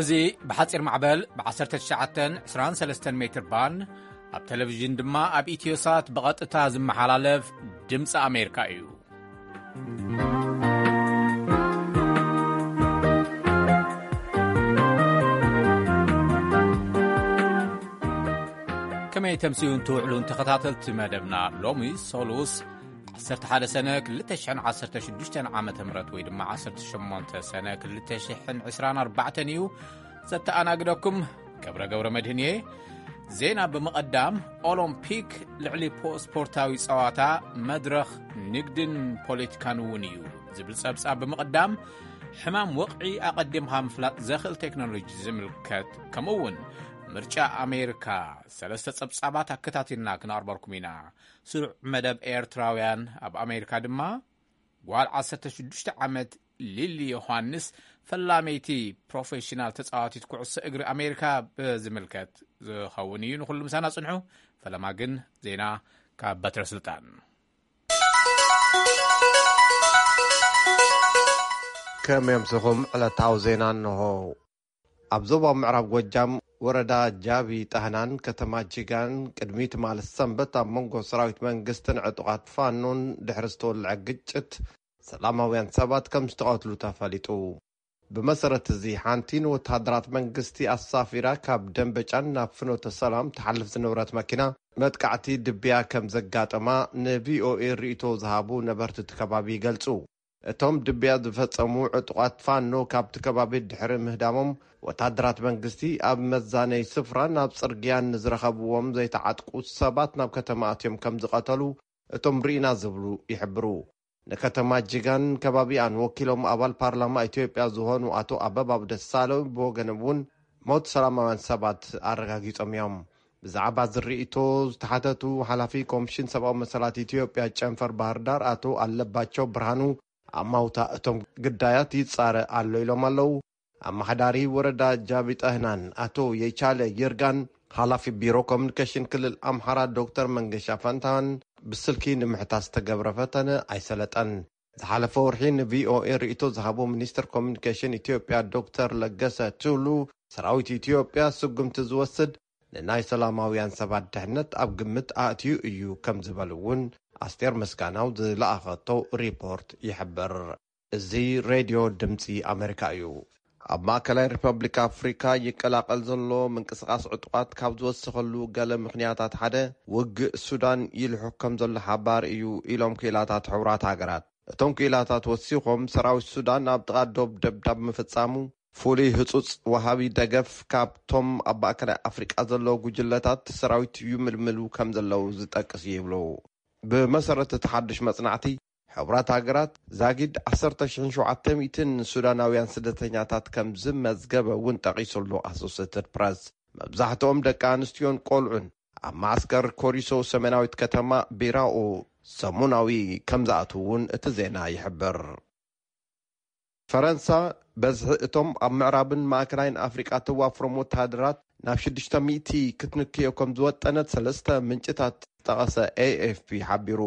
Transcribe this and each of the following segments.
እዚ ብሓጺር ማዕበል ብ19 23 ሜትር ባንድ፣ ኣብ ቴሌቪዥን ድማ ኣብ ኢትዮሳት ብቐጥታ ዝመሓላለፍ ድምፂ ኣሜሪካ እዩ። ከመይ ተምስዩን ትውዕሉን ተኸታተልቲ መደብና? ሎሚ ሶሉስ 11 ሰነ 2016 ዓመተ ምህረት ወይ ድማ 18 ሰነ 2024 እዩ። ዘተኣናግደኩም ገብረ ገብረ መድህን እየ። ዜና ብምቐዳም፣ ኦሎምፒክ ልዕሊ ፖ-፣ ስፖርታዊ ጸዋታ፣ መድረኽ ንግድን ፖለቲካን እውን እዩ ዝብል ጸብጻብ ብምቕዳም፣ ሕማም ወቕዒ ኣቐዲምካ ምፍላጥ ዘኽእል ቴክኖሎጂ ዝምልከት፣ ከምኡ እውን ምርጫ ኣሜሪካ፣ ሰለስተ ጸብጻባት ኣከታቲልና ክነቕርበልኩም ኢና። ስሩዕ መደብ ኤርትራውያን ኣብ ኣሜሪካ ድማ፣ ጓል 16 ዓመት ሊሊ ዮሃንስ ፈላመይቲ ፕሮፌሽናል ተጻዋቲት ኩዕሶ እግሪ ኣሜሪካ ብዝምልከት ዝኸውን እዩ። ንኹሉ ምሳና ጽንሑ። ፈለማ ግን ዜና ካብ በትረ ስልጣን። ከም የምስኹም ዕለታዊ ዜና እንሆ። ኣብ ዞባ ምዕራብ ጎጃም ወረዳ ጃቢ ጣህናን ከተማ ጅጋን ቅድሚ ትማሊ ሰንበት ኣብ መንጎ ሰራዊት መንግስትን ዕጡቓት ፋኖን ድሕሪ ዝተወልዐ ግጭት ሰላማውያን ሰባት ከም ዝተቐትሉ ተፈሊጡ። ብመሰረት እዚ ሓንቲ ንወተሃደራት መንግስቲ ኣሳፊራ ካብ ደንበጫን ናብ ፍኖተ ሰላም ትሓልፍ ዝነበረት መኪና መጥቃዕቲ ድብያ ከም ዘጋጠማ ን ቪ ኦ ኤ ርእይቶ ዝሃቡ ነበርቲ እቲ ከባቢ ይገልጹ። እቶም ድብያ ዝፈጸሙ ዕጡቓት ፋኖ ካብቲ ከባቢ ድሕሪ ምህዳሞም፣ ወታደራት መንግስቲ ኣብ መዛነይ ስፍራ ናብ ጽርግያን ንዝረኸብዎም ዘይተዓጥቁ ሰባት ናብ ከተማ ኣትዮም ከም ዝቐተሉ እቶም ርኢና ዝብሉ ይሕብሩ። ንከተማ ጅጋን ከባቢኣን ወኪሎም ኣባል ፓርላማ ኢትዮጵያ ዝኾኑ ኣቶ ኣበባው ደሳለው ብወገኖም እውን ሞት ሰላማውያን ሰባት ኣረጋጊጾም እዮም። ብዛዕባ ዝርእይቶ ዝተሓተቱ ሓላፊ ኮሚሽን ሰብኣዊ መሰላት ኢትዮጵያ ጨንፈር ባህር ዳር ኣቶ ኣለባቸው ብርሃኑ፣ ኣማውታ እቶም ግዳያት ይጻረ ኣሎ ኢሎም ኣለዉ። ኣመሓዳሪ ወረዳ ጃቢ ጠህናን ኣቶ የቻለ ይርጋን፣ ሓላፊ ቢሮ ኮሚኒኬሽን ክልል ኣምሓራ ዶክተር መንገሻ ፈንታን ብስልኪ ንምሕታት ዝተገብረ ፈተነ ኣይሰለጠን። ዝሓለፈ ወርሒ ን ቪ ኦ ኤ ርእይቶ ዝሃቡ ሚኒስትር ኮሚኒኬሽን ኢትዮጵያ ዶክተር ለገሰ ቱሉ፣ ሰራዊት ኢትዮጵያ ስጉምቲ ዝወስድ ንናይ ሰላማውያን ሰባት ድሕነት ኣብ ግምት ኣእትዩ እዩ ከም ዝበሉ እውን ኣስቴር ምስጋናው ዝለኣኸቶ ሪፖርት ይሕብር። እዚ ሬድዮ ድምፂ ኣሜሪካ እዩ። ኣብ ማእከላይ ሪፐብሊክ ኣፍሪካ ይቀላቐል ዘሎ ምንቅስቓስ ዕጡቓት ካብ ዝወሰኸሉ ገለ ምኽንያታት ሓደ ውግእ ሱዳን ይልሕኽ ከም ዘሎ ሓባር እዩ ኢሎም ክኢላታት ሕቡራት ሃገራት። እቶም ክኢላታት ወሲኾም ሰራዊት ሱዳን ኣብ ጥቓ ዶብ ደብዳብ ምፍጻሙ ፍሉይ ህጹጽ ወሃቢ ደገፍ ካብቶም ኣብ ማእከላይ ኣፍሪቃ ዘለዉ ጉጅለታት ሰራዊት ይምልምሉ ከም ዘለዉ ዝጠቅስ እዩ ይብሉ። ብመሰረት እቲ ሓድሽ መጽናዕቲ፣ ሕቡራት ሃገራት ዛጊድ 10,700 ሱዳናውያን ስደተኛታት ከም ዝመዝገበ እውን ጠቒሱ ኣሎ ኣሶሴትድ ፕረስ። መብዛሕትኦም ደቂ ኣንስትዮን ቆልዑን ኣብ ማዕስከር ኮሪሶ ሰሜናዊት ከተማ ቢራኦ ሰሙናዊ ከም ዝኣትዉ እውን እቲ ዜና ይሕብር። ፈረንሳ በዝሒ እቶም ኣብ ምዕራብን ማእከላይን ኣፍሪቃ ተዋፍሮም ወተሃደራት ናብ 600 ክትንክዮ ከም ዝወጠነት ሰለስተ ምንጭታት ዝጠቐሰ ኤ ኤፍ ፒ ሓቢሩ።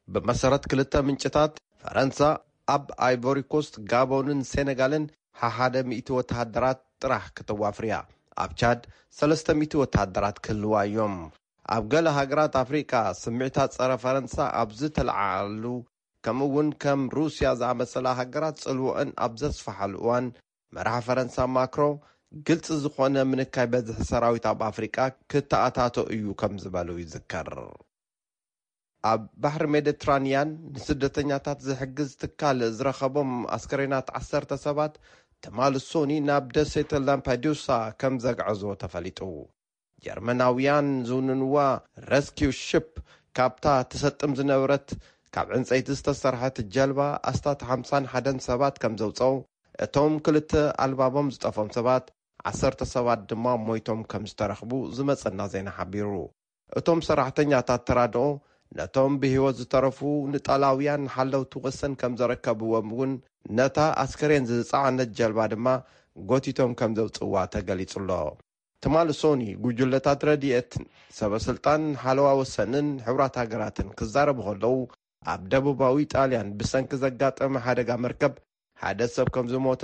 ብመሰረት ክልተ ምንጭታት፣ ፈረንሳ ኣብ ኣይቮሪ ኮስት፣ ጋቦንን ሴኔጋልን ሓሓደ ሚእቲ ወተሃደራት ጥራሕ ከተዋፍር እያ። ኣብ ቻድ 300 ወተሃደራት ክህልዋ እዮም። ኣብ ገለ ሃገራት ኣፍሪቃ ስምዒታት ጸረ ፈረንሳ ኣብ ዝተለዓዓሉ፣ ከምኡ እውን ከም ሩስያ ዝኣመሰላ ሃገራት ጽልወአን ኣብ ዘስፍሓሉ እዋን፣ መራሒ ፈረንሳ ማክሮ ግልጺ ዝኾነ ምንካይ በዝሒ ሰራዊት ኣብ ኣፍሪቃ ክተኣታቶ እዩ ከም ዝበሉ ይዝከር። ኣብ ባሕሪ ሜዲትራንያን ንስደተኛታት ዝሕግዝ ትካል ዝረኸቦም ኣስከሬናት 10 ሰባት ትማሊ ሶኒ ናብ ደሴት ላምፓዱሳ ከም ዘግዐዞ ተፈሊጡ። ጀርመናውያን ዝውንንዋ ረስኪው ሽፕ ካብታ ትሰጥም ዝነበረት ካብ ዕንፀይቲ ዝተሰርሐት ጀልባ ኣስታት 51 ሰባት ከም ዘውፀው፣ እቶም ክልተ ኣልባቦም ዝጠፎም ሰባት፣ ዓሰርተ ሰባት ድማ ሞይቶም ከም ዝተረኽቡ ዝመፀና ዜና ሓቢሩ። እቶም ሰራሕተኛታት ተራድኦ ነቶም ብህይወት ዝተረፉ ንጣላውያን ሓለውቲ ወሰን ከም ዘረከብዎም እውን፣ ነታ ኣስከሬን ዝጸዓነት ጀልባ ድማ ጎቲቶም ከም ዘውጽእዋ ተገሊጹ ኣሎ። ትማሊ ሶኒ፣ ጉጅለታት ረድኤት፣ ሰበ ስልጣን ሓለዋ ወሰንን ሕቡራት ሃገራትን ክዛረቡ ከለዉ፣ ኣብ ደቡባዊ ጣልያን ብሰንኪ ዘጋጠመ ሓደጋ መርከብ ሓደ ሰብ ከም ዝሞተ፣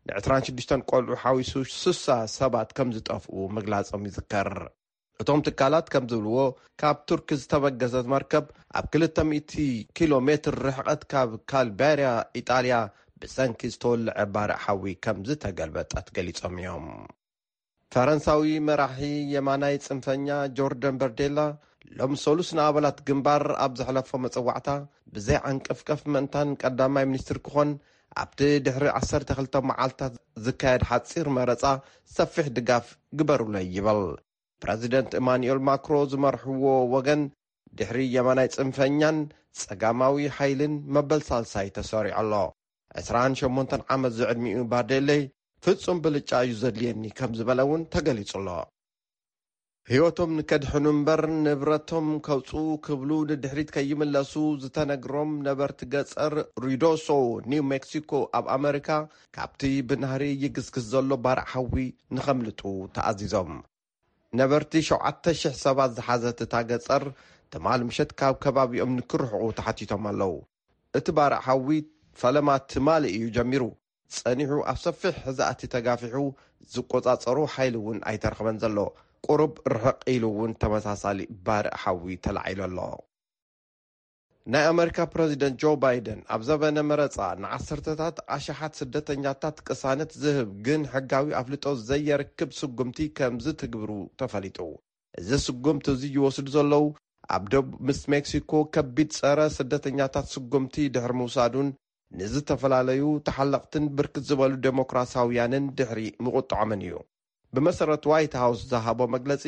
ን ዕስራን ሽዱሽተን ቆልዑ ሓዊሱ ስሳ ሰባት ከም ዝጠፍኡ ምግላጾም ይዝከር። እቶም ትካላት ከም ዝብልዎ፣ ካብ ቱርክ ዝተበገሰት መርከብ ኣብ ክልተ ሚእቲ ኪሎ ሜትር ርሕቐት ካብ ካልባርያ ኢጣልያ ብሰንኪ ዝተወልዐ ባርዕ ሓዊ ከም ዝተገልበጠት ገሊጾም እዮም። ፈረንሳዊ መራሒ የማናይ ጽንፈኛ ጆርደን በርዴላ ሎም ሰሉስ ንኣባላት ግንባር ኣብ ዘሕለፎ መጸዋዕታ፣ ብዘይ ዓንቀፍቀፍ ምእንታን ቀዳማይ ሚኒስትር ክኾን፣ ኣብቲ ድሕሪ ዓሰርተ ክልተ መዓልታት ዝካየድ ሓጺር መረጻ ሰፊሕ ድጋፍ ግበሩለይ ይብል። ፕረዚደንት ኢማኑኤል ማክሮ ዝመርሕዎ ወገን ድሕሪ የማናይ ጽንፈኛን ጸጋማዊ ሓይልን መበል ሳልሳይ ተሰሪዑ ኣሎ። ዕስራን ሸሞንተን ዓመት ዝዕድሚኡ ባርዴሌ፣ ፍጹም ብልጫ እዩ ዘድልየኒ ከም ዝበለ እውን ተገሊጹ ኣሎ። ህይወቶም ንከድሕኑ እምበር ንብረቶም ከውጽኡ ክብሉ ንድሕሪት ከይምለሱ ዝተነግሮም ነበርቲ ገጸር ሩይዶሶ፣ ኒው ሜክሲኮ ኣብ ኣመሪካ፣ ካብቲ ብናህሪ ይግስግስ ዘሎ ባርዕ ሓዊ ንኸምልጡ ተኣዚዞም። ነበርቲ ሸውዓተ ሽሕ ሰባት ዝሓዘት እታ ገጸር፣ ትማል ምሸት ካብ ከባቢኦም ንክርሕቑ ተሓቲቶም ኣለዉ። እቲ ባርዕ ሓዊ ፈለማ ትማሊ እዩ ጀሚሩ። ጸኒሑ ኣብ ሰፊሕ ዝኣቲ ተጋፊሑ ዝቆጻጸሮ ሓይሊ እውን ኣይተረኽበን ዘሎ። ቁሩብ ርሕቕ ኢሉ እውን ተመሳሳሊ ባርዕ ሓዊ ተላዒሉ ኣሎ። ናይ ኣመሪካ ፕረዚደንት ጆ ባይደን ኣብ ዘበነ መረጻ ንዓሰርተታት ኣሽሓት ስደተኛታት ቅሳነት ዝህብ ግን ሕጋዊ ኣፍልጦ ዘየርክብ ስጉምቲ ከም ዝትግብሩ ተፈሊጡ። እዚ ስጉምቲ እዚ ይወስዱ ዘለዉ ኣብ ደቡብ ምስ ሜክሲኮ ከቢድ ጸረ ስደተኛታት ስጉምቲ ድሕሪ ምውሳዱን ንዝተፈላለዩ ተሓለቕትን ብርክት ዝበሉ ዴሞክራሲያውያንን ድሕሪ ምቑጥዖምን እዩ። ብመሰረት ዋይት ሃውስ ዝሃቦ መግለጺ፣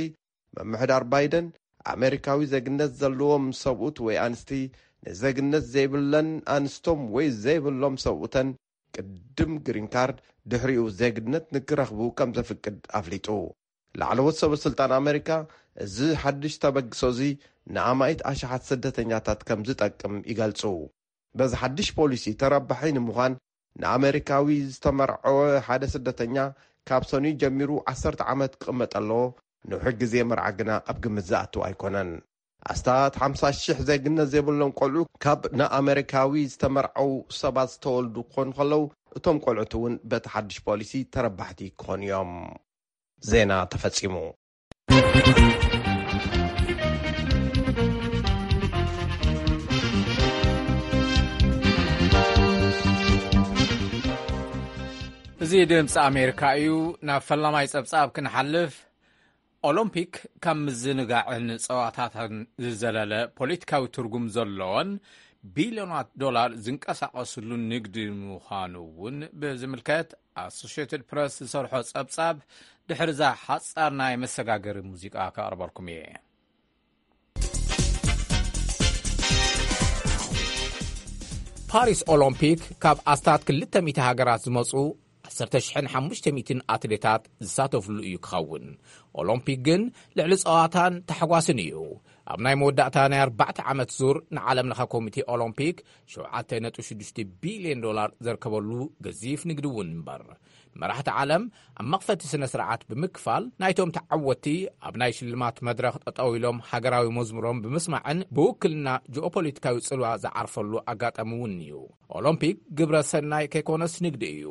ምምሕዳር ባይደን ኣሜሪካዊ ዜግነት ዘለዎም ሰብኡት ወይ ኣንስቲ ንዜግነት ዘይብለን ኣንስቶም ወይ ዘይብሎም ሰብኡተን ቅድም ግሪን ካርድ ድሕሪኡ ዜግነት ንክረኽቡ ከም ዘፍቅድ ኣፍሊጡ። ላዕለዎት ሰበ ስልጣን ኣሜሪካ እዚ ሓድሽ ተበግሶ እዚ ንኣማኢት ኣሽሓት ስደተኛታት ከም ዝጠቅም ይገልጹ። በዚ ሓድሽ ፖሊሲ ተረባሒ ንምዃን ንኣመሪካዊ ዝተመርዐወ ሓደ ስደተኛ ካብ ሰኑይ ጀሚሩ ዓሰርተ ዓመት ክቕመጥ ኣለዎ። ንውሕ ግዜ መርዓ ግና ኣብ ግምት ዝኣቱ ኣይኮነን። ኣስታት ሓምሳ ሽሕ ዜግነት ዘይብሎም ቆልዑ ካብ ንኣመሪካዊ ዝተመርዐው ሰባት ዝተወልዱ ክኾኑ ከለዉ፣ እቶም ቆልዑት እውን በቲ ሓድሽ ፖሊሲ ተረባሕቲ ክኾኑ እዮም። ዜና ተፈጺሙ። እዚ ድምፂ ኣሜሪካ እዩ። ናብ ፈላማይ ጸብጻብ ክንሓልፍ፣ ኦሎምፒክ ካብ ምዝንጋዕን ጸዋታታትን ዝዘለለ ፖለቲካዊ ትርጉም ዘለዎን ቢልዮናት ዶላር ዝንቀሳቐስሉ ንግዲ ምዃኑ እውን ብዝምልከት ኣሶሽየትድ ፕረስ ዝሰርሖ ጸብጻብ ድሕሪ እዛ ሓጻር ናይ መሰጋገሪ ሙዚቃ ከቕርበልኩም እየ። ፓሪስ ኦሎምፒክ ካብ ኣስታት ክልተ ሚእቲ ሃገራት ዝመጹ ዓሰርተ ሽሕን ሓሙሽተ ሚእትን ኣትሌታት ዝሳተፍሉ እዩ ክኸውን። ኦሎምፒክ ግን ልዕሊ ጸዋታን ታሕጓስን እዩ። ኣብ ናይ መወዳእታ ናይ ኣርባዕተ ዓመት ዙር ንዓለም ለኸ ኮሚቴ ኦሎምፒክ ሸውዓተ ነጥቢ ሽዱሽተ ቢልዮን ዶላር ዘርከበሉ ገዚፍ ንግዲ እውን እምበር። መራሕቲ ዓለም ኣብ መኽፈቲ ስነ ስርዓት ብምክፋል ናይቶም ተዓወቲ ኣብ ናይ ሽልማት መድረኽ ጠጠው ኢሎም ሃገራዊ መዝሙሮም ብምስማዕን ብውክልና ጂኦፖለቲካዊ ጽልዋ ዝዓርፈሉ ኣጋጣሚ እውን እዩ። ኦሎምፒክ ግብረ ሰናይ ከይኮነስ ንግዲ እዩ።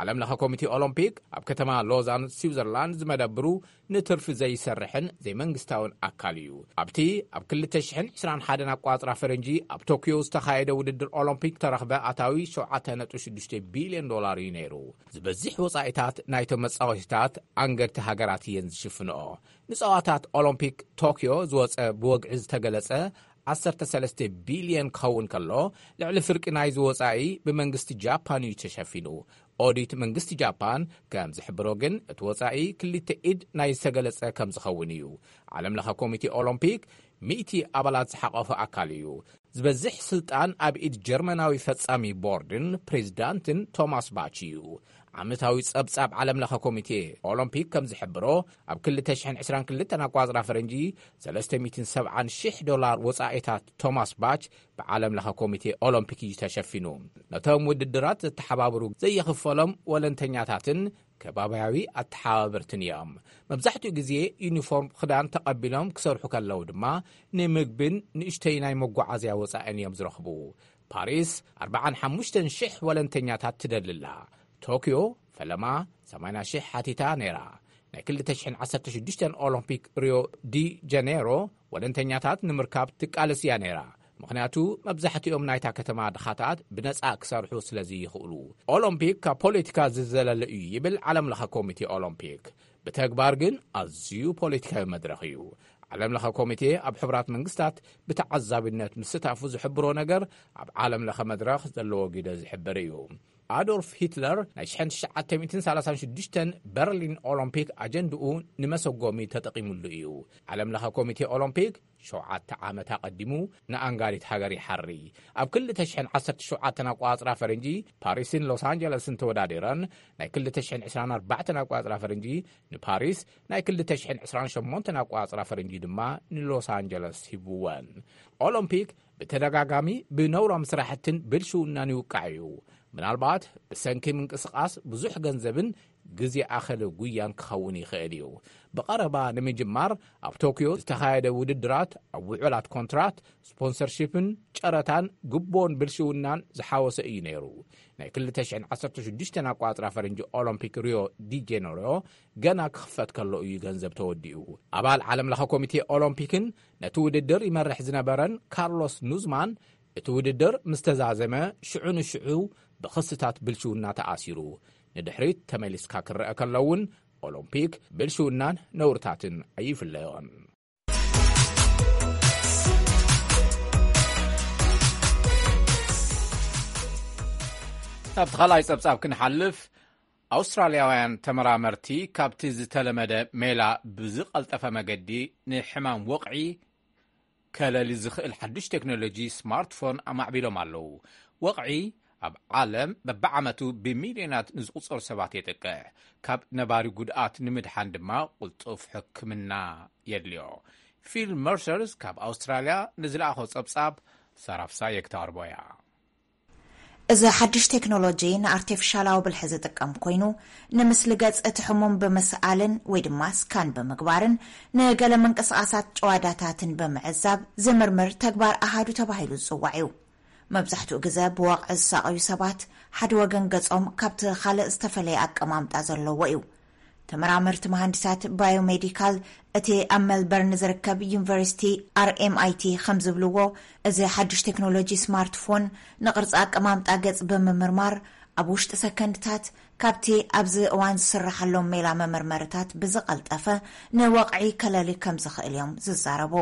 ዓለም ለኸ ኮሚቴ ኦሎምፒክ ኣብ ከተማ ሎዛን ስዊዘርላንድ ዝመደብሩ ንትርፊ ዘይሰርሕን ዘይመንግስታውን ኣካል እዩ። ኣብቲ ኣብ ክልተ ሽሕን ዕስራን ሓደን ኣቋጽራ ፈረንጂ ኣብ ቶክዮ ዝተኻየደ ውድድር ኦሎምፒክ ተረኽበ ኣታዊ ሸውዓተ ነጥቢ ሽዱሽተ ቢልዮን ዶላር እዩ ነይሩ። ዝበዝሕ ወጻኢታት ናይቶም መጻወቲታት ኣንገድቲ ሃገራት እየን ዝሽፍንኦ። ንጸዋታት ኦሎምፒክ ቶክዮ ዝወጸ ብወግዒ ዝተገለጸ ዓሰርተ ሰለስተ ቢልዮን ክኸውን ከሎ፣ ልዕሊ ፍርቂ ናይዚ ወጻኢ ብመንግስቲ ጃፓን እዩ ተሸፊኑ። ኦዲት መንግስቲ ጃፓን ከም ዝሕብሮ ግን፣ እቲ ወጻኢ ክልተ ኢድ ናይ ዝተገለጸ ከም ዝኸውን እዩ። ዓለም ለኸ ኮሚቴ ኦሎምፒክ ሚእቲ ኣባላት ዝሓቐፈ ኣካል እዩ። ዝበዝሕ ስልጣን ኣብ ኢድ ጀርመናዊ ፈጻሚ ቦርድን ፕሬዚዳንትን ቶማስ ባች እዩ። ዓመታዊ ጸብጻብ ዓለም ለኸ ኮሚቴ ኦሎምፒክ ከም ዝሕብሮ፣ ኣብ ክልተ ሽሕን ዕስራን ክልተን ኣቋጽራ ፈረንጂ ሰለስተ ሚእትን ሰብዓን ሽሕ ዶላር ወጻኢታት ቶማስ ባች ብዓለም ለኸ ኮሚቴ ኦሎምፒክ እዩ ተሸፊኑ። ነቶም ውድድራት ዘተሓባብሩ ዘይኽፈሎም ወለንተኛታትን ከባብያዊ ኣተሓባበርትን እዮም። መብዛሕትኡ ግዜ ዩኒፎርም ክዳን ተቐቢሎም ክሰርሑ ከለዉ ድማ፣ ንምግብን ንእሽተይ ናይ መጓዓዝያ ወጻእን እዮም ዝረኽቡ። ፓሪስ ኣርባዓን ሓሙሽተን ሽሕ ወለንተኛታት ትደሊ ኣላ። ቶክዮ ፈለማ ሰማንያ ሽሕ ሓቲታ ነይራ። ናይ ክልተ ሽሕን ዓሰርተ ሽዱሽተን ኦሎምፒክ ሪዮ ዲ ጀኔሮ ወለንተኛታት ንምርካብ ትቃለስ እያ ነይራ። ምኽንያቱ መብዛሕትኦም ናይታ ከተማ ድኻታት ብነጻ ክሰርሑ ስለ ዘይኽእሉ። ኦሎምፒክ ካብ ፖለቲካ ዝዘለለ እዩ ይብል ዓለም ለኸ ኮሚቴ ኦሎምፒክ። ብተግባር ግን ኣዝዩ ፖለቲካዊ መድረኽ እዩ። ዓለም ለኸ ኮሚቴ ኣብ ሕቡራት መንግስታት ብተዓዛቢነት ምስታፉ ዝሕብሮ ነገር ኣብ ዓለም ለኸ መድረኽ ዘለዎ ግደ ዝሕብር እዩ። ኣዶልፍ ሂትለር ናይ ሽሕን ትሽዓተ ሚእትን ሰላሳን ሽዱሽተን በርሊን ኦሎምፒክ ኣጀንድኡ ንመሰጎሚ ተጠቒሙሉ እዩ። ዓለም ለኸ ኮሚቴ ኦሎምፒክ ሸውዓተ ዓመት ኣቐዲሙ ንኣንጋሪት ሃገር ይሓሪ። ኣብ ክልተ ሽሕን ዓሰርተ ሸውዓተን ኣቋጽራ ፈረንጂ ፓሪስን ሎስ ኣንጀለስን ተወዳዲረን ናይ ክልተ ሽሕን ዕስራን ኣርባዕተን ኣቋጽራ ፈረንጂ ንፓሪስ፣ ናይ ክልተ ሽሕን ዕስራን ሸሞንተን ኣቋጽራ ፈረንጂ ድማ ንሎስ ኣንጀለስ ሂብወን። ኦሎምፒክ ብተደጋጋሚ ብነውራም ስራሕትን ብልሽውናን ይውቃዕ እዩ። ምናልባት ብሰንኪ ምንቅስቓስ ብዙሕ ገንዘብን ግዜ ኣኸለ ጉያን ክኸውን ይኽእል እዩ። ብቐረባ ንምጅማር ኣብ ቶክዮ ዝተኻየደ ውድድራት ኣብ ውዕላት ኮንትራት፣ ስፖንሰርሺፕን ጨረታን ግቦን ብልሽውናን ዝሓወሰ እዩ ነይሩ። ናይ ክልተ ሽሕን ዓሰርተ ሽዱሽተን ኣቋጽራ ፈረንጂ ኦሎምፒክ ሪዮ ዲ ጄነሮ ገና ክኽፈት ከሎ እዩ ገንዘብ ተወዲኡ። ኣባል ዓለም ለኸ ኮሚቴ ኦሎምፒክን ነቲ ውድድር ይመርሕ ዝነበረን ካርሎስ ኑዝማን፣ እቲ ውድድር ምስ ተዛዘመ ሽዑ ንሽዑ ብኽስታት ብልሽውና ተኣሲሩ። ንድሕሪት ተመሊስካ ክረአ ከሎ እውን ኦሎምፒክ ብልሽውናን ነውርታትን ኣይፍለዮን። ናብቲ ካልኣይ ጸብጻብ ክንሓልፍ፣ ኣውስትራልያውያን ተመራመርቲ ካብቲ ዝተለመደ ሜላ ብዝቐልጠፈ መገዲ ንሕማም ወቕዒ ከለሊ ዝኽእል ሓዱሽ ቴክኖሎጂ ስማርትፎን ኣማዕቢሎም ኣለዉ። ወቕዒ ኣብ ዓለም በብዓመቱ ብሚልዮናት ንዝቑጸሩ ሰባት የጥቅዕ። ካብ ነባሪ ጉድኣት ንምድሓን ድማ ቁልጡፍ ሕክምና የድልዮ። ፊል መርሰርስ ካብ ኣውስትራልያ ንዝለኣኾ ጸብጻብ ሰራፍሳየ ክተቕርቦ እያ። እዚ ሓድሽ ቴክኖሎጂ ንኣርቲፊሻላዊ ብልሒ ዝጥቀም ኮይኑ፣ ንምስሊ ገጽ እቲ ሕሙም ብምስኣልን ወይ ድማ ስካን ብምግባርን ንገለ ምንቅስቓሳት ጭዋዳታትን ብምዕዛብ ዝምርምር ተግባር ኣሃዱ ተባሂሉ ዝጽዋዕ እዩ። መብዛሕትኡ ግዘ ብወቕዒ ዝሳቐዩ ሰባት ሓደ ወገን ገጾም ካብቲ ካልእ ዝተፈለየ ኣቀማምጣ ዘለዎ እዩ። ተመራመርቲ መሃንዲሳት ባዮሜዲካል እቲ ኣብ ሜልበርን ዝርከብ ዩኒቨርሲቲ ኣርኤምኣይቲ ከም ዝብልዎ፣ እዚ ሓድሽ ቴክኖሎጂ ስማርትፎን ንቕርጺ ኣቀማምጣ ገጽ ብምምርማር ኣብ ውሽጢ ሰከንድታት ካብቲ ኣብዚ እዋን ዝስረሓሎም ሜላ መመርመርታት ብዝቐልጠፈ ንወቕዒ ከለሊ ከም ዝኽእል እዮም ዝዛረቡ።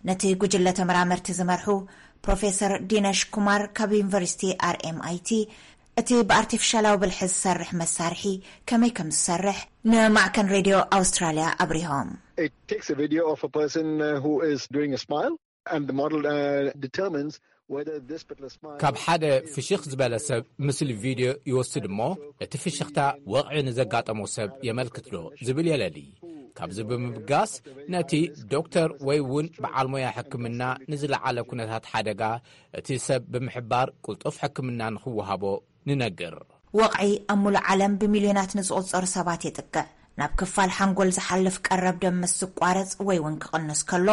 ነቲ ጉጅለ ተመራመርቲ ዝመርሑ ፕሮፌሰር ዲነሽ ኩማር ካብ ዩኒቨርሲቲ ኣርኤምኣይቲ፣ እቲ ብኣርቲፊሻላዊ ብልሒ ዝሰርሕ መሳርሒ ከመይ ከም ዝሰርሕ ንማዕከን ሬድዮ ኣውስትራልያ ኣብሪሆም። It takes a video of a person uh, who is doing a smile, and the model uh, determines whether this particular smile ካብ ሓደ ፍሽኽ ዝበለ ሰብ ምስሊ ቪድዮ ይወስድ እሞ፣ እቲ ፍሽኽታ ወቕዒ ንዘጋጠሞ ሰብ የመልክት ዶ ዝብል የለሊ። ካብዚ ብምብጋስ፣ ነቲ ዶክተር ወይ እውን በዓል ሞያ ሕክምና ንዝለዓለ ኩነታት ሓደጋ እቲ ሰብ ብምሕባር ቅልጡፍ ሕክምና ንኽወሃቦ ንነግር። ወቕዒ ኣብ ሙሉእ ዓለም ብሚልዮናት ንዝቑጸሩ ሰባት የጥቅዕ። ናብ ክፋል ሓንጎል ዝሓልፍ ቀረብ ደም ምስ ዝቋረጽ ወይ እውን ክቕንስ ከሎ፣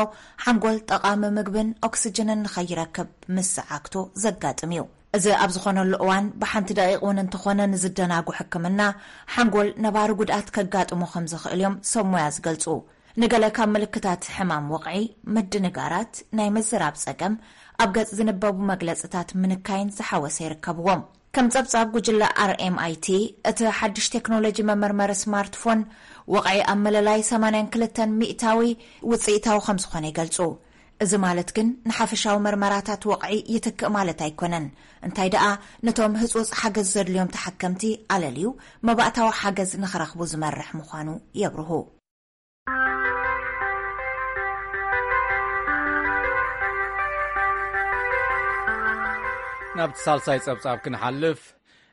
ሓንጎል ጠቓሚ ምግብን ኦክስጅንን ንኸይረክብ ምስ ዝዓግቶ ዘጋጥም እዩ። እዚ ኣብ ዝኾነሉ እዋን፣ ብሓንቲ ደቂቕ እውን እንተኾነ ንዝደናጉ ሕክምና ሓንጎል ነባሪ ጉድኣት ከጋጥሞ ከም ዝኽእል እዮም ሰብ ሞያ ዝገልጹ። ንገለ ካብ ምልክታት ሕማም ወቕዒ፣ ምድንጋራት፣ ናይ ምዝራብ ጸገም፣ ኣብ ገጽ ዝንበቡ መግለጽታት ምንካይን ዝሓወሰ ይርከብዎም። ከም ጸብጻብ ጉጅለ ኣርኤምኣይቲ፣ እቲ ሓድሽ ቴክኖሎጂ መመርመሪ ስማርትፎን ወቕዒ ኣብ መለላይ ሰማንያን ክልተን ሚእታዊ ውጽኢታዊ ከም ዝኾነ ይገልጹ። እዚ ማለት ግን ንሓፈሻዊ መርመራታት ወቕዒ ይትክእ ማለት ኣይኮነን። እንታይ ደኣ፣ ነቶም ህጹጽ ሓገዝ ዘድልዮም ተሓከምቲ ኣለልዩ መባእታዊ ሓገዝ ንኽረኽቡ ዝመርሕ ምዃኑ የብርሁ። ናብቲ ሳልሳይ ጸብጻብ ክንሓልፍ፣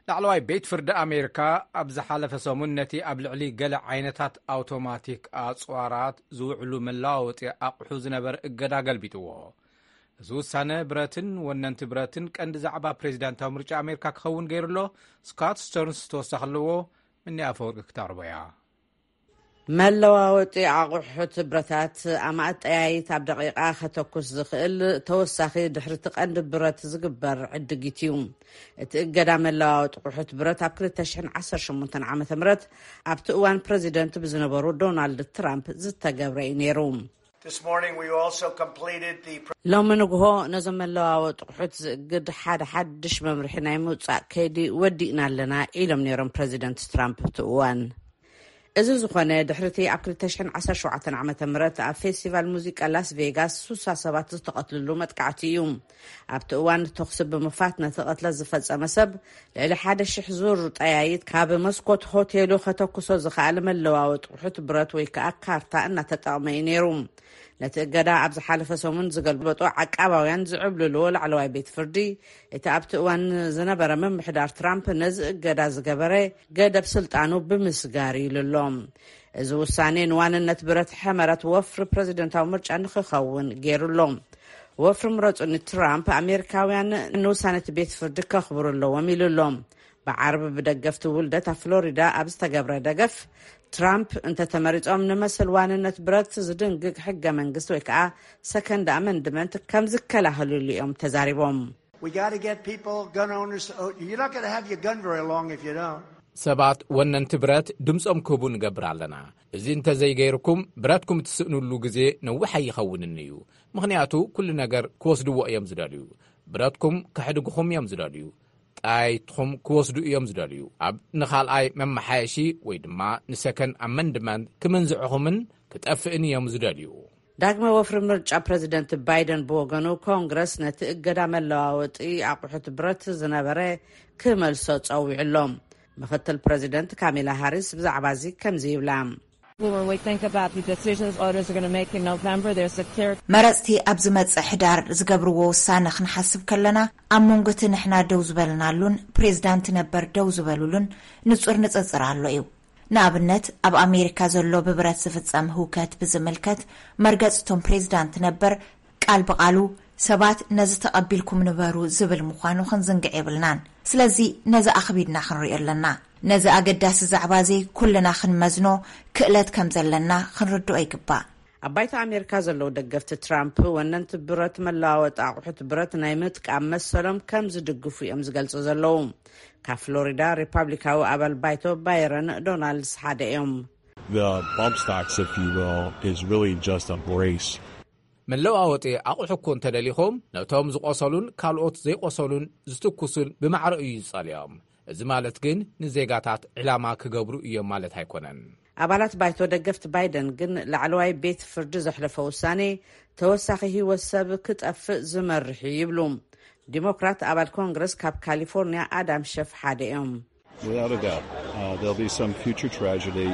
ላዕለዋይ ቤት ፍርዲ ኣሜሪካ ኣብ ዝሓለፈ ሰሙን ነቲ ኣብ ልዕሊ ገለ ዓይነታት ኣውቶማቲክ ኣጽዋራት ዝውዕሉ መለዋወጢ ኣቑሑ ዝነበረ እገዳ ገልቢጥዎ። እዚ ውሳነ ብረትን ወነንቲ ብረትን ቀንዲ ዛዕባ ፕሬዚዳንታዊ ምርጫ ኣሜሪካ ክኸውን ገይሩ ኣሎ። ስካት ስተርንስ ተወሳኺ ኣለዎ። ምኒ ኣፈወርቂ ክተቕርቦ እያ። መለዋወጢ ኣቑሑት ብረታት ኣማእት ጠያይት ኣብ ደቂቓ ከተኩስ ዝኽእል ተወሳኺ ድሕርቲ ቀንዲ ብረት ዝግበር ዕድጊት እዩ። እቲ እገዳ መለዋወጢ ኣቑሑት ብረት ኣብ ክልተ ሽሕን ዓሰርተ ሸሞንተን ዓመተ ምህረት ኣብቲ እዋን ፕረዚደንት ብዝነበሩ ዶናልድ ትራምፕ ዝተገብረ እዩ ነይሩ። This morning, we also completed the pre- ሎሚ ንግሆ ነዞም መለዋወጢ ኣቑሑት ዝእግድ ሓደ ሓድሽ መምርሒ ናይ ምውጻእ ከይዲ ወዲእና ኣለና ኢሎም ነይሮም ፕረዚደንት ትራምፕ ኣብቲ እዋን። እዚ ዝኾነ ድሕሪቲ ኣብ ክልተ ሽሕን ዓሰርተ ሸውዓተን ዓመተ ምህረት ኣብ ፌስቲቫል ሙዚቃ ላስ ቬጋስ ሱሳ ሰባት ዝተቐትልሉ መጥቃዕቲ እዩ። ኣብቲ እዋን ተኹሲ ብምኽፋት ነቲ ቅትለት ዝፈጸመ ሰብ ልዕሊ ሓደ ሽሕ ዙር ጠያይት ካብ መስኮት ሆቴሉ ከተኩሶ ዝኸኣለ መለዋወጢ ኣቑሑት ብረት ወይ ከኣ ካርታ እናተጠቕመ እዩ ነይሩ። ነቲ እገዳ ኣብ ዝሓለፈ ሰሙን ዝገልበጦ ዓቃባውያን ዝዕብልልዎ ላዕለዋይ ቤት ፍርዲ፣ እቲ ኣብቲ እዋን ዝነበረ ምምሕዳር ትራምፕ ነዚ እገዳ ዝገበረ ገደብ ስልጣኑ ብምስጋር ኢሉ ኣሎ። እዚ ውሳኔ ንዋንነት ብረት ሕመረት ወፍሪ ፕረዚደንታዊ ምርጫ ንክኸውን ገይሩ ኣሎ። ወፍሪ ምረጹኒ ትራምፕ ኣሜሪካውያን ንውሳነ እቲ ቤት ፍርዲ ከኽብሩ ኣለዎም ኢሉ ኣሎ። ብዓርቢ ብደገፍቲ ውልደት ኣብ ፍሎሪዳ ኣብ ዝተገብረ ደገፍ ትራምፕ እንተተመሪጾም ንመስል ዋንነት ብረት ዝድንግግ ሕገ መንግስቲ ወይ ከዓ ሰከንድ ኣመንድመንት ከም ዝከላኸልሉ እዮም ተዛሪቦም። We got to get people, gun owners. Oh, you're not going to have your gun very long if you don't. ሰባት ወነንቲ ብረት ድምፆም ክህቡ ንገብር ኣለና። እዚ እንተዘይገይርኩም ብረትኩም እትስእኑሉ ግዜ ነዊሕ ኣይኸውንን እዩ። ምኽንያቱ ኩሉ ነገር ክወስድዎ እዮም ዝደልዩ። ብረትኩም ከሕድግኹም እዮም ዝደልዩ። ጣይትኹም ክወስዱ እዮም ዝደልዩ። ኣብ ንኻልኣይ መመሓየሺ ወይ ድማ ንሰከን ኣመንድመንት ክምንዝዕኹምን ክጠፍእን እዮም ዝደልዩ። ዳግመ ወፍሪ ምርጫ ፕረዚደንት ባይደን ብወገኑ፣ ኮንግረስ ነቲ እገዳ መለዋወጢ ኣቑሑት ብረት ዝነበረ ክመልሶ ጸዊዑ ኣሎ። ምኽትል ፕረዚደንት ካሜላ ሃሪስ ብዛዕባ እዚ ከምዚ ይብላ። When we think about the decisions voters are going to make in November, there's a clear መረጽቲ ኣብ ዝመጽእ ሕዳር ዝገብርዎ ውሳነ ክንሓስብ ከለና፣ ኣብ መንጎ እቲ ንሕና ደው ዝበልናሉን ፕሬዝዳንት ነበር ደው ዝበሉሉን ንጹር ንጽጽር ኣሎ እዩ። ንኣብነት፣ ኣብ ኣሜሪካ ዘሎ ብብረት ዝፍጸም ህውከት ብዝምልከት፣ መርገጽ እቶም ፕሬዝዳንት ነበር ቃል ብቓሉ ሰባት ነዚ ተቐቢልኩም ንበሩ ዝብል ምዃኑ ክንዝንግዕ የብልናን። ስለዚ ነዚ ኣኽቢድና ክንሪኦ ኣለና። ነዚ ኣገዳሲ ዛዕባ እዚ ኩልና ክንመዝኖ ክእለት ከም ዘለና ክንርድኦ ይግባእ። ኣብ ባይቶ ኣሜሪካ ዘለዉ ደገፍቲ ትራምፕ፣ ወነንቲ ብረት መለዋወጢ ኣቑሑት ብረት ናይ ምጥቃም መሰሎም ከም ዝድግፉ እዮም ዝገልጹ ዘለዉ። ካብ ፍሎሪዳ ሪፓብሊካዊ ኣባል ባይቶ ባይረን ዶናልድስ ሓደ እዮም። The bump stocks, if you will, is really just a brace. መለዋወጢ ኣቑሑ እኮ እንተደሊኹም፣ ነቶም ዝቖሰሉን ካልኦት ዘይቆሰሉን ዝትኩሱን ብማዕረ እዩ ዝጸልዮም። እዚ ማለት ግን ንዜጋታት ዕላማ ክገብሩ እዮም ማለት ኣይኮነን። ኣባላት ባይቶ ደገፍቲ ባይደን ግን ላዕለዋይ ቤት ፍርዲ ዘሕለፎ ውሳኔ ተወሳኺ ህይወት ሰብ ክጠፍእ ዝመርሕ እዩ ይብሉ። ዲሞክራት ኣባል ኮንግረስ ካብ ካሊፎርኒያ ኣዳም ሸፍ ሓደ እዮም። Without a doubt, uh, there'll be some future tragedy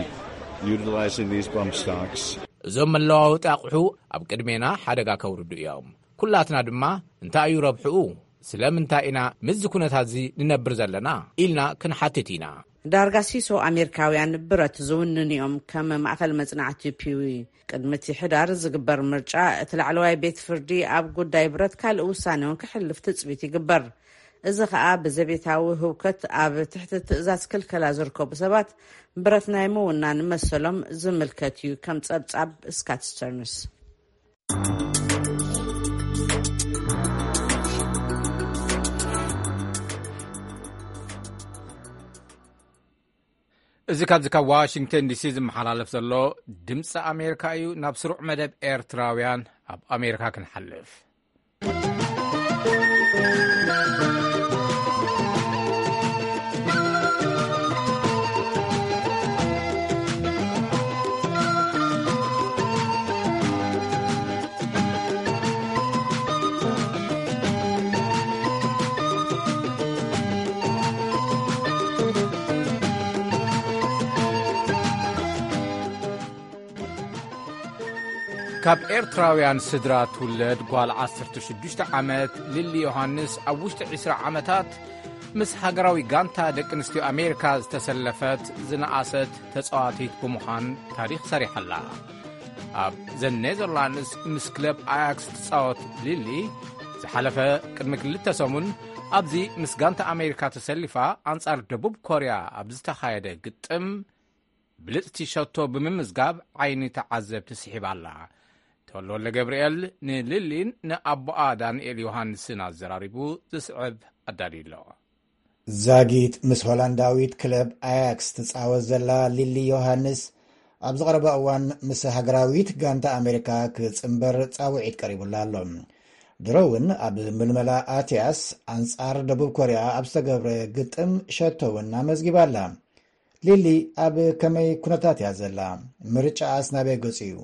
utilizing these bump stocks. እዞም መለዋወጢ ኣቑሑ ኣብ ቅድሜና ሓደጋ ከውርዱ እዮም። ኩላትና ድማ እንታይ እዩ ረብሕኡ? ስለምንታይ ኢና ምስዚ ኩነታት እዚ ንነብር ዘለና? ኢልና ክንሓትት ኢና። ዳርጋ ሲሶ ኣሜሪካውያን ብረት ዝውንኑ እዮም፣ ከም ማእኸል መጽናዕቲ ፒዊ። ቅድሚ እቲ ሕዳር ዝግበር ምርጫ፣ እቲ ላዕለዋይ ቤት ፍርዲ ኣብ ጉዳይ ብረት ካልእ ውሳነ እውን ክሕልፍ ትጽቢት ይግበር። እዚ ኸኣ ብዘቤታዊ ህውከት ኣብ ትሕቲ ትእዛዝ ክልከላ ዝርከቡ ሰባት ብረት ናይ ምውናን መሰሎም ዝምልከት እዩ፣ ከም ጸብጻብ ስካት ስተርንስ። እዚ ካብዚ ካብ ዋሽንግተን ዲሲ ዝመሓላለፍ ዘሎ ድምፂ ኣሜሪካ እዩ። ናብ ስሩዕ መደብ ኤርትራውያን ኣብ ኣሜሪካ ክንሓልፍ። ካብ ኤርትራውያን ስድራ ትውለድ ጓል ዓሰርተ ሽዱሽተ ዓመት ሊሊ ዮሃንስ፣ ኣብ ውሽጢ ዕስራ ዓመታት ምስ ሃገራዊ ጋንታ ደቂ ኣንስትዮ ኣሜሪካ ዝተሰለፈት ዝነኣሰት ተጻዋቲት ብምዃን ታሪኽ ሰሪሓ ኣላ። ኣብ ዘ ኔዘርላንድስ ምስ ክለብ ኣያክስ ትጻወት ሊሊ፣ ዝሓለፈ ቅድሚ ክልተ ሰሙን ኣብዚ ምስ ጋንታ ኣሜሪካ ተሰሊፋ ኣንጻር ደቡብ ኮርያ ኣብ ዝተኻየደ ግጥም ብልጽቲ ሸቶ ብምምዝጋብ ዓይኒ ተዓዘብቲ ስሒባ ኣላ። ተወልደ ገብርኤል ንሊሊን ንኣቦኣ ዳንኤል ዮሃንስን ኣዘራሪቡ ዝስዕብ ኣዳልዩ ኣሎ። ዛጊት ምስ ሆላንዳዊት ክለብ ኣያክስ ትጻወት ዘላ ሊሊ ዮሃንስ፣ ኣብዚ ቀረባ እዋን ምስ ሃገራዊት ጋንታ ኣሜሪካ ክጽንበር ጻውዒት ቀሪቡላ ኣሎ። ድሮ እውን ኣብ ምልመላ ኣትያስ ኣንጻር ደቡብ ኮርያ ኣብ ዝተገብረ ግጥም ሸቶ እውን ኣመዝጊባ ኣላ። ሊሊ፣ ኣብ ከመይ ኩነታት እያ ዘላ? ምርጫኣስ ናበይ ገጹ እዩ?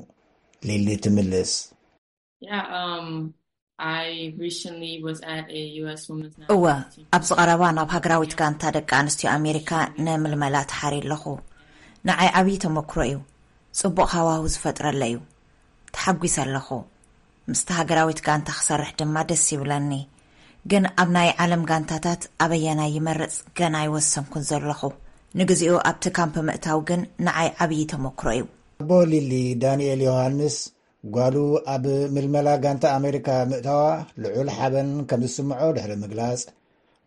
ሊሊ ትምልስ። Yeah, um, I recently was at a U S Women's እወ፣ National Team. ኣብዚ ቀረባ ናብ ሃገራዊት ጋንታ ደቂ ኣንስትዮ ኣሜሪካ ንምልመላ ተሓርየ ኣለኹ። ንዓይ ዓብዪ ተመክሮ እዩ። ጽቡቕ ሃዋሁ ዝፈጥረለ እዩ። ተሓጒሰ ኣለኹ። ምስቲ ሃገራዊት ጋንታ ክሰርሕ ድማ ደስ ይብለኒ። ግን ኣብ ናይ ዓለም ጋንታታት ኣበየናይ ይመርጽ ገና ኣይወሰንኩን ዘለኹ። ንግዚኡ ኣብቲ ካምፕ ምእታው ግን ንዓይ ዓብዪ ተመክሮ እዩ። ኣቦ ሊሊ፣ ዳንኤል ዮሃንስ፣ ጓሉ ኣብ ምልመላ ጋንታ ኣሜሪካ ምእታዋ ልዑል ሓበን ከም ዝስምዖ ድሕሪ ምግላጽ፣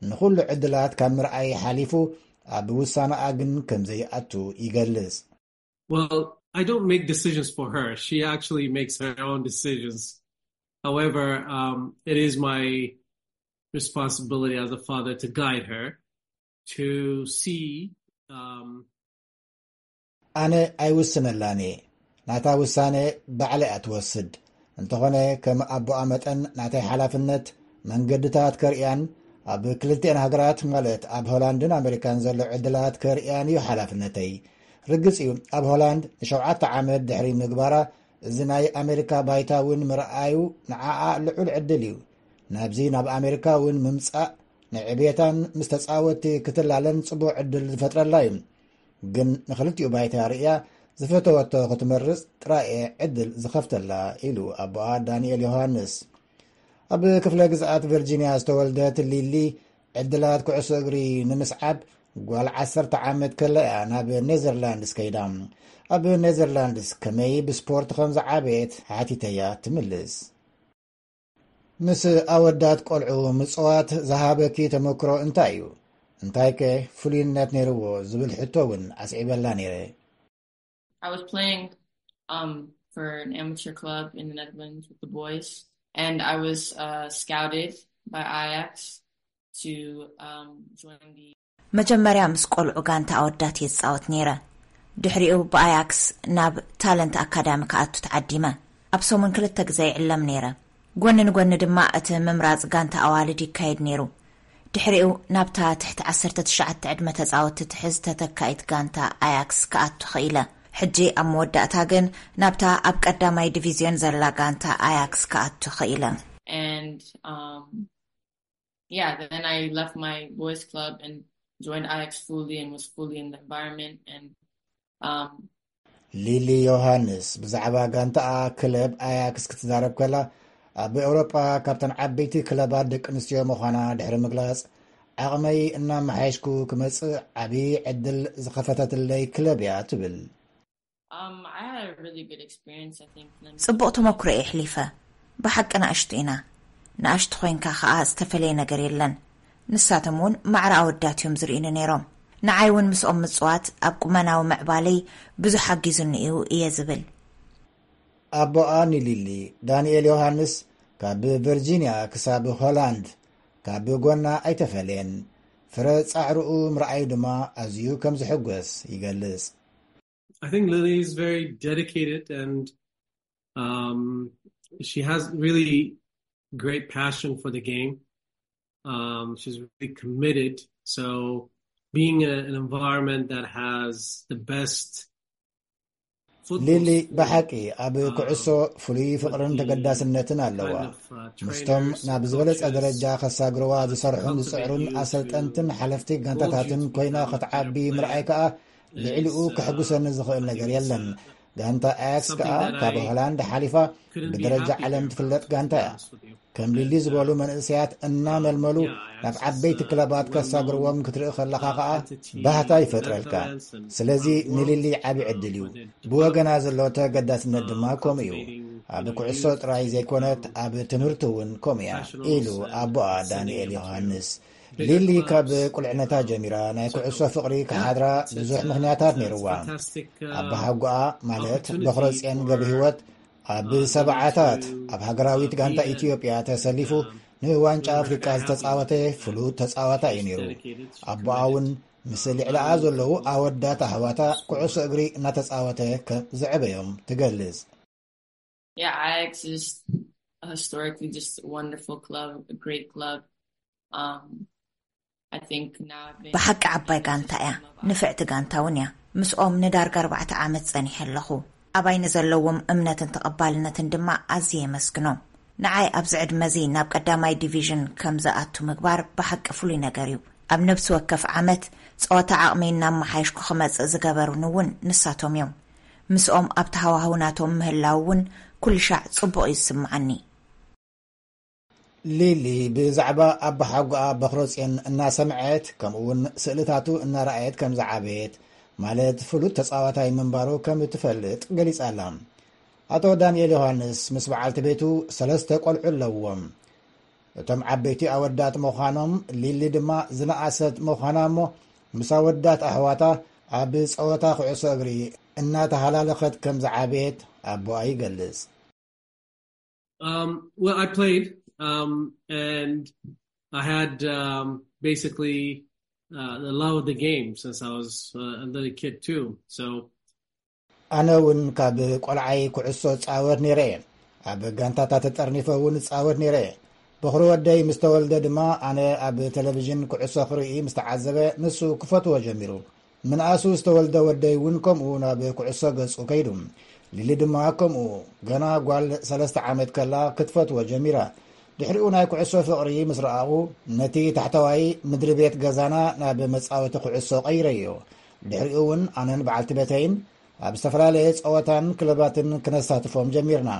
ንኹሉ ዕድላት ካብ ምርኣይ ሓሊፉ ኣብ ውሳነኣ ግን ከም ዘይኣቱ ይገልጽ። Well, I don't make decisions for her. She actually makes her own decisions. However, um, it is my responsibility as a father to guide her to see, um, ኣነ ኣይውስነላን እየ። ናታ ውሳነ ባዕላ እያ ትወስድ። እንተኾነ፣ ከም ኣቦኣ መጠን ናተይ ሓላፍነት መንገድታት ከርእያን ኣብ ክልቲኤን ሃገራት፣ ማለት ኣብ ሆላንድን ኣሜሪካን ዘሎ ዕድላት ከርእያን እዩ ሓላፍነተይ። ርግጽ እዩ፣ ኣብ ሆላንድ ንሸውዓተ ዓመት ድሕሪ ምግባራ፣ እዚ ናይ ኣሜሪካ ባይታ እውን ምርኣዩ ንዓኣ ልዑል ዕድል እዩ። ናብዚ ናብ ኣሜሪካ እውን ምምጻእ ንዕቤታን ምስ ተጻወትቲ ክትላለን ጽቡቕ ዕድል ዝፈጥረላ እዩ። ግን ንኽልቲኡ ባይታ ርእያ ዝፈተወቶ ክትመርጽ ጥራይ እየ ዕድል ዝኸፍተላ፣ ኢሉ ኣቦኣ ዳንኤል ዮሃንስ። ኣብ ክፍለ ግዝኣት ቨርጂንያ ዝተወልደት ሊሊ፣ ዕድላት ኩዕሶ እግሪ ንምስዓብ ጓል ዓሰርተ ዓመት ከላ እያ ናብ ኔዘርላንድስ ከይዳ። ኣብ ኔዘርላንድስ ከመይ ብስፖርት ከም ዝዓበየት ሓቲተያ ትምልስ። ምስ ኣወዳት ቆልዑ ምጽዋት ዝሃበኪ ተመክሮ እንታይ እዩ? እንታይ ከ ፍሉይነት ነይርዎ ዝብል ሕቶ እውን ኣስዒበላ ነይረ። I was playing, um, for an amateur club in the Netherlands with the boys, and I was, uh, scouted by Ajax to, um, join the መጀመርያ ምስ ቆልዑ ጋንታ ኣወዳት እየ ዝጻወት ነይረ። ድሕሪኡ ብኣያክስ ናብ ታለንት ኣካዳሚ ክኣቱ ተዓዲመ። ኣብ ሰሙን ክልተ ግዜ ይዕለም ነይረ። ጎኒ ንጎኒ ድማ እቲ ምምራጽ ጋንታ ኣዋልድ ይካየድ ነይሩ። ድሕሪኡ ናብታ ትሕቲ ዓሰርተ ትሽዓተ ዕድመ ተጻወትቲ ትሕዝ ተተካኢት ጋንታ ኣያክስ ክኣቱ ኽኢለ። ሕጂ ኣብ መወዳእታ ግን ናብታ ኣብ ቀዳማይ ዲቪዝዮን ዘላ ጋንታ ኣያክስ ክኣቱ ኽኢለ። And, um, yeah, then I left my boys club and joined Ajax fully and was fully in the environment and, um, ሊሊ ዮሃንስ ብዛዕባ ጋንታኣ ክለብ ኣያክስ ክትዛረብ ከላ፣ ኣብ ኤውሮጳ ካብተን ዓበይቲ ክለባት ደቂ ኣንስትዮ ምዃና ድሕሪ ምግላጽ፣ ዓቕመይ እናመሓየሽኩ ክመጽእ ዓቢ ዕድል ዝኸፈተትለይ ክለብ እያ ትብል። Um, I had a really good experience, I think. ጽቡቕ ተመክሮ እየ ኣሕሊፈ። ብሓቂ ንኣሽቱ ኢና። ንኣሽቱ ኮይንካ ከኣ ዝተፈለየ ነገር የለን። ንሳቶም እውን ማዕረ ኣወዳት እዮም ዝርእዩኒ ነይሮም። ንዓይ እውን ምስኦም ምጽዋት ኣብ ቁመናዊ ምዕባለይ ብዙሕ ሓጊዙኒ እዩ እየ ዝብል። ኣቦኣ ንሊሊ፣ ዳንኤል ዮሃንስ፣ ካብ ቨርጂንያ ክሳብ ሆላንድ ካብ ጎና ኣይተፈለየን። ፍረ ጻዕርኡ ምርኣዩ ድማ ኣዝዩ ከም ዝሕጎስ ይገልጽ። I think Lily is very dedicated and, um, she has really great passion for the game. Um, she's really committed. So being in a, an environment that has the best football ሊሊ sport, ብሓቂ ኣብ um, ኩዕሶ ፍሉይ ፍቕርን ተገዳስነትን ኣለዋ። ምስቶም ናብ ዝበለጸ ደረጃ ከሳግርዋ ዝሰርሑን ዝጽዕሩን ኣሰልጠንትን ሓለፍቲ ጋንታታትን ኮይና ክትዓቢ ምርኣይ ከኣ ልዕሊኡ ከሕጉሰኒ ዝኽእል ነገር የለን። ጋንታ ኣያክስ ከኣ ካብ ሆላንድ ሓሊፋ ብደረጃ ዓለም ትፍለጥ ጋንታ እያ። ከም ሊሊ ዝበሉ መንእሰያት እናመልመሉ ናብ ዓበይቲ ክለባት ከሳግርዎም ክትርኢ ከለኻ ከኣ ባህታ ይፈጥረልካ። ስለዚ ንሊሊ ዓቢ ዕድል እዩ። ብወገና ዘሎ ተገዳስነት ድማ ከምኡ እዩ። ኣብ ኩዕሶ ጥራይ ዘይኮነት፣ ኣብ ትምህርቲ እውን ከምኡ እያ፣ ኢሉ ኣቦኣ ዳንኤል ዮሃንስ። ሊሊ ካብ ቁልዕነታ ጀሚራ ናይ ኩዕሶ ፍቕሪ ክሓድራ ብዙሕ ምኽንያታት ነይርዋ። ኣባሓጎኣ ማለት በኽረጽዮን ገብረ ህይወት ኣብ ሰብዓታት ኣብ ሃገራዊት ጋንታ ኢትዮጵያ ተሰሊፉ ንዋንጫ ኣፍሪቃ ዝተጻወተ ፍሉጥ ተጻዋታይ እዩ ነይሩ። ኣቦኣ እውን ምስ ልዕሊኣ ዘለዉ ኣወዳት ኣሕዋታ ኩዕሶ እግሪ እናተጻወተ ከም ዘዕበዮም ትገልጽ። Yeah, Ajax is just a historically just a wonderful club, a great club. Um, I think now I've been ብሓቂ ዓባይ ጋንታ እያ። ንፍዕቲ ጋንታ እውን እያ። ምስኦም ንዳርጋ ኣርባዕተ ዓመት ጸኒሐ ኣለኹ። ኣባይ ንዘለዎም እምነትን ተቐባልነትን ድማ ኣዝየ የመስግኖም። ንዓይ ኣብዚ ዕድመ እዚ ናብ ቀዳማይ ዲቪዥን ከም ዝኣቱ ምግባር ብሓቂ ፍሉይ ነገር እዩ። ኣብ ነብሲ ወከፍ ዓመት ጸወታ ዓቕመይ እናመሓየሽኩ ክመጽእ ዝገበሩኒ እውን ንሳቶም እዮም። ምስኦም ኣብቲ ሃዋህው ናቶም ምህላው እውን ኩሉ ሻዕ ጽቡቕ እዩ ዝስምዓኒ። ሊሊ ብዛዕባ ኣባሓጎኣ በኽረጽዮን እናሰምዐት ከምኡ እውን ስእልታቱ እናረኣየት ከም ዝዓበየት ማለት ፍሉጥ ተጻዋታይ ምንባሩ ከም እትፈልጥ ገሊጻ ኣላ። ኣቶ ዳንኤል ዮሃንስ ምስ በዓልቲ ቤቱ ሰለስተ ቆልዑ ኣለዎም። እቶም ዓበይቲ ኣወዳት ምዃኖም ሊሊ ድማ ዝነኣሰት ምዃና እሞ ምስ ኣወዳት ኣሕዋታ ኣብ ጸወታ ኩዕሶ እግሪ እናተሃላለኸት ከም ዝዓበየት ኣቦኣ ይገልጽ። Um, well, I played, um, and I had um, basically uh, the love of the game since I was uh, a little kid too. So ኣነ እውን ካብ ቆልዓይ ኩዕሶ ጻወት ነይረ እየ። ኣብ ጋንታታት ተጠርኒፈ እውን ጻወት ነይረ እየ። በኹሪ ወደይ ምስ ተወልደ ድማ ኣነ ኣብ ቴሌቪዥን ኩዕሶ ክርኢ ምስ ተዓዘበ ንሱ ክፈትዎ ጀሚሩ። ምንኣሱ ዝተወልደ ወደይ እውን ከምኡ ናብ ኩዕሶ ገጹ ከይዱ። ሊሊ ድማ ከምኡ ገና ጓል ሰለስተ ዓመት ከላ ክትፈትዎ ጀሚራ። ድሕሪኡ ናይ ኩዕሶ ፍቕሪ ምስ ረኣቑ ነቲ ታሕተዋይ ምድሪ ቤት ገዛና ናብ መጻወቲ ኩዕሶ ቀይረዮ። ድሕሪኡ እውን ኣነን በዓልቲ ቤተይን ኣብ ዝተፈላለየ ጸወታን ክለባትን ክነሳትፎም ጀሚርና።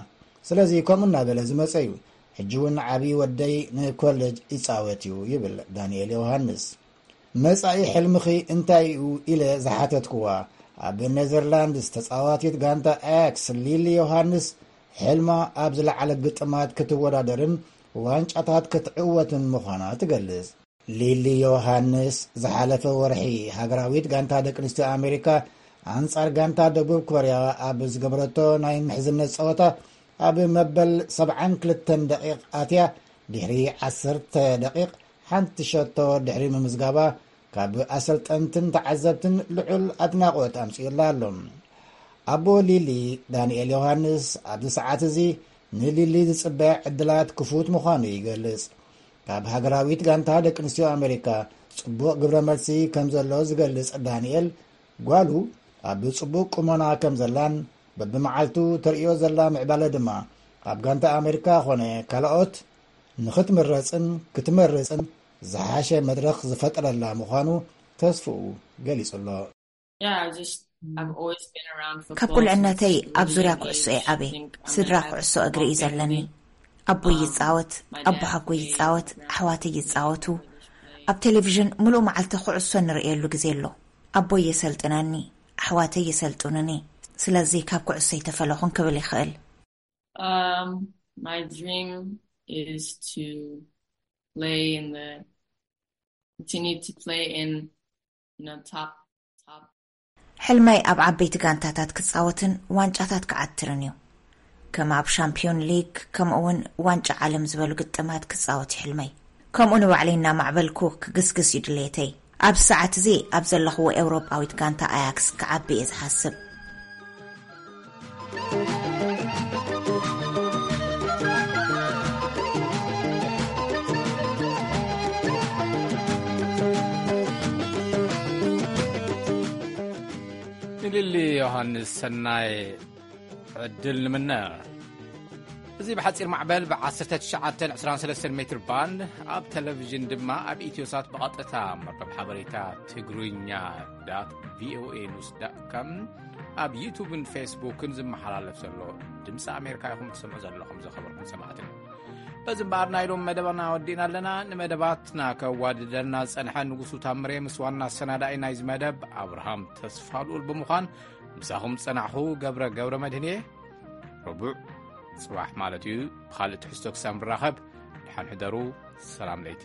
ስለዚ ከምኡ እናበለ ዝመጸ እዩ። ሕጂ እውን ዓብዪ ወደይ ንኮሌጅ ይጻወት እዩ ይብል ዳንኤል ዮሃንስ። መጻኢ ሕልምኺ እንታይ እዩ ኢለ ዝሓተትክዋ፣ ኣብ ኔዘርላንድስ ተጻዋቲት ጋንታ ኣያክስ ሊሊ ዮሃንስ ሕልማ ኣብ ዝለዓለ ግጥማት ክትወዳደርን ዋንጫታት ክትዕወትን ምዃና ትገልጽ። ሊሊ ዮሃንስ ዝሓለፈ ወርሒ ሃገራዊት ጋንታ ደቂ ኣንስትዮ ኣሜሪካ ኣንጻር ጋንታ ደቡብ ኮርያ ኣብ ዝገበረቶ ናይ ምሕዝነት ጸወታ ኣብ መበል ሰብዓን ክልተን ደቂቕ ኣትያ ድሕሪ ዓሰርተ ደቂቕ ሓንቲ ሸቶ ድሕሪ ምምዝጋባ ካብ ኣሰልጠንትን ተዓዘብትን ልዑል ኣድናቖት ኣምጺኡላ ኣሎ። ኣቦ ሊሊ ዳንኤል ዮሃንስ ኣብዚ ሰዓት እዚ ንሊሊ ዝጽበያ ዕድላት ክፉት ምዃኑ ይገልጽ። ካብ ሃገራዊት ጋንታ ደቂ ኣንስትዮ ኣሜሪካ ጽቡቕ ግብረ መልሲ ከም ዘሎ ዝገልጽ ዳንኤል ጓሉ ኣብ ጽቡቕ ቁመና ከም ዘላን በብመዓልቱ ተርእዮ ዘላ ምዕባለ ድማ ኣብ ጋንታ ኣሜሪካ ኾነ ካልኦት ንኽትምረጽን ክትመርጽን ዝሓሸ መድረኽ ዝፈጠረላ ምዃኑ ተስፍኡ ገሊጹ ኣሎ። Yeah, I just I've always been around football. ካብ ቁልዕነተይ ኣብ ዙርያ ኩዕሶ እየ ዓብየ። ስድራ ኩዕሶ እግሪ እዩ ዘለኒ። ኣቦይ ይጻወት፣ ኣቦሓጎይ ይጻወት፣ ኣሕዋተይ ይጻወቱ። ኣብ ቴሌቪዥን ምሉእ መዓልቲ ኩዕሶ ንርእየሉ ግዜ ኣሎ። ኣቦይ የሰልጥነኒ፣ ኣሕዋተይ የሰልጥኑኒ። ስለዚ ካብ ኩዕሶ ይተፈለኹን ክብል ይኽእል። Um, my dream is to play in the continue to play in you know top top ሕልመይ ኣብ ዓበይቲ ጋንታታት ክጻወትን ዋንጫታት ክዓትርን እዩ። ከም ኣብ ሻምፒዮን ሊግ ከምኡ እውን ዋንጫ ዓለም ዝበሉ ግጥማት ክጻወት እዩ ሕልመይ። ከምኡ ንባዕለይ እናማዕበልኩ ክግስግስ እዩ ድሌተይ። ኣብ ሰዓት እዚ ኣብ ዘለኽዎ ኤውሮጳዊት ጋንታ ኣያክስ ክዓቢ እየ ዝሓስብ። ንሊሊ ዮሃንስ ሰናይ ዕድል ንምነ። እዚ ብሓጺር ማዕበል ብ1923 ሜትር ባንድ ኣብ ቴሌቪዥን ድማ ኣብ ኢትዮሳት ብቐጥታ መርበብ ሓበሬታ ትግርኛ ዳት ቪኦኤ ኒውስ ዳት ኮም ኣብ ዩቱብን ፌስቡክን ዝመሓላለፍ ዘሎ ድምፂ ኣሜሪካ ኢኹም ትሰምዑ ዘለኹም። ዘኸበርኩም ሰማዕትና፣ በዚ እምበኣር ናይ ሎም መደባና ወዲእና ኣለና። ንመደባትና ከዋድደና ዝጸንሐ ንጉሱ ታምሬ ምስ ዋና ኣሰናዳኢ ናይዚ መደብ ኣብርሃም ተስፋ ልኡል ብምዃን ምሳኹም ዝጸናሕኹ ገብረ ገብረ መድህን እየ። ረቡዕ ጽባሕ ማለት እዩ ብኻልእ ትሕዝቶ ክሳብ ንራኸብ ደሓን ሕደሩ። ሰላም ለይቲ።